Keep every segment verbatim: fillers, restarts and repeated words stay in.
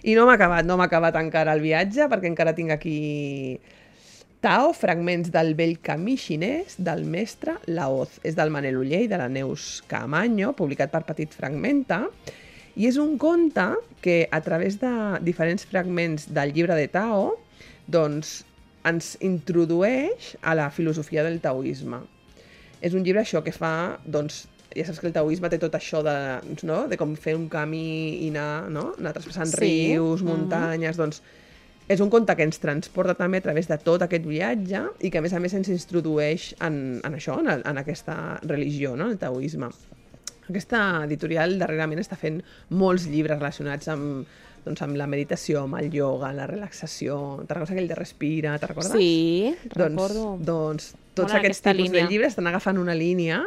I no m'ha acabat, no m'ha acabat encara el viatge, perquè encara tinc aquí Tao, fragments del vell camí xinès del mestre Laoz. És del Manel Oller i de la Neus Caamaño, publicat per Petit Fragmenta, i és un conte que, a través de diferents fragments del llibre de Tao, doncs, ens introdueix a la filosofia del taoisme. És un llibre, això, que fa, doncs, ja saps que el taoisme té tot això de, no? de com fer un camí i anar, no? anar traspassant sí. rius, muntanyes, mm-hmm. doncs és un conte que ens transporta també a través de tot aquest viatge i que a més a més ens introdueix en, en això, en, en aquesta religió, no? el taoisme. Aquesta editorial darrerament està fent molts llibres relacionats amb, doncs, amb la meditació, amb el ioga, la relaxació. Te'n recordes aquell de Respira, te'n recordes? Sí, doncs, recordo. Doncs tots Bona aquests tipus línia. de llibres estan agafant una línia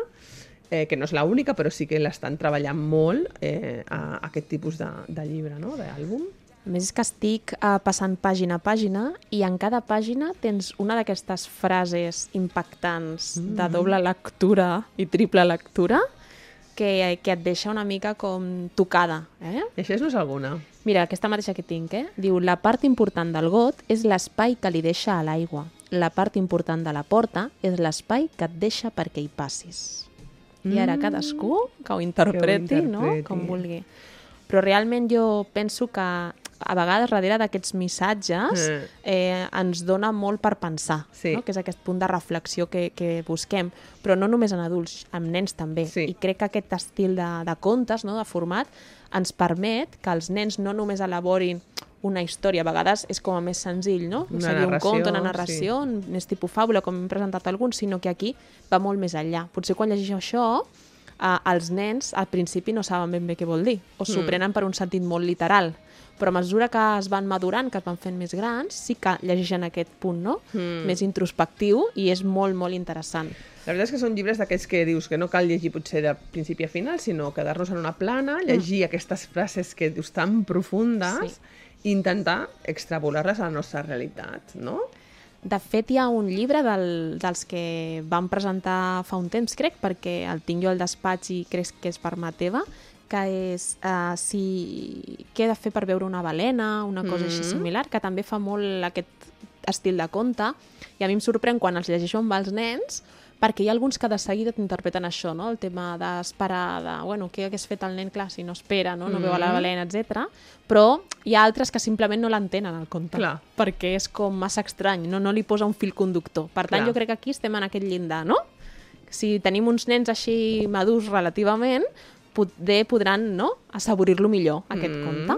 eh, que no és l'única, però sí que l'estan treballant molt eh, a, a aquest tipus de, de llibre, no? d'àlbum. A més és que estic uh, passant pàgina a pàgina i en cada pàgina tens una d'aquestes frases impactants mm. de doble lectura i triple lectura que, que et deixa una mica com tocada. Eh? I això no és alguna? Mira, aquesta mateixa que tinc, eh? Diu, la part important del got és l'espai que li deixa a l'aigua. La part important de la porta és l'espai que et deixa perquè hi passis. I ara cadascú que ho interpreti, que ho interpreti. No? Com vulgui. Però realment jo penso que a vegades darrere d'aquests missatges eh, ens dona molt per pensar, sí. no? que és aquest punt de reflexió que, que busquem, però no només en adults, amb nens també. Sí. I crec que aquest estil de, de contes, no? de format, ens permet que els nens no només elaborin una història, a vegades és com a més senzill, no? Una Seria un narració, conte, una narració, sí. més tipus fàbula, com hem presentat alguns, sinó que aquí va molt més enllà. Potser quan llegeixo això, eh, els nens al principi no saben ben bé què vol dir, o s'ho mm. prenen per un sentit molt literal, però a mesura que es van madurant, que es van fent més grans, sí que llegeixen aquest punt, no? Mm. Més introspectiu, i és molt, molt interessant. La veritat és que són llibres d'aquells que dius que no cal llegir potser de principi a final, sinó quedar-nos en una plana, llegir mm. aquestes frases que dius tan profundes, sí. i intentar extrapolar-les a la nostra realitat, no? De fet, hi ha un llibre del, dels que vam presentar fa un temps, crec, perquè el tinc jo al despatx i crec que és per mà teva, que és uh, si... què he de fer per veure una balena, una cosa mm-hmm. així similar, que també fa molt aquest estil de conte, i a mi em sorprèn quan els llegeixo amb els nens, perquè hi ha alguns que de seguida t'interpreten això, no? El tema d'esperar, de, bueno, què hagués fet el nen, clar, si no espera, no, no mm. veu a la balena, etcètera. Però hi ha altres que simplement no l'entenen, el conte, clar. Perquè és com massa estrany, no, no li posa un fil conductor. Per tant, clar. Jo crec que aquí estem en aquest llindar, no? Si tenim uns nens així madurs relativament, poder podran, no?, assaborir-lo millor, aquest mm. conte.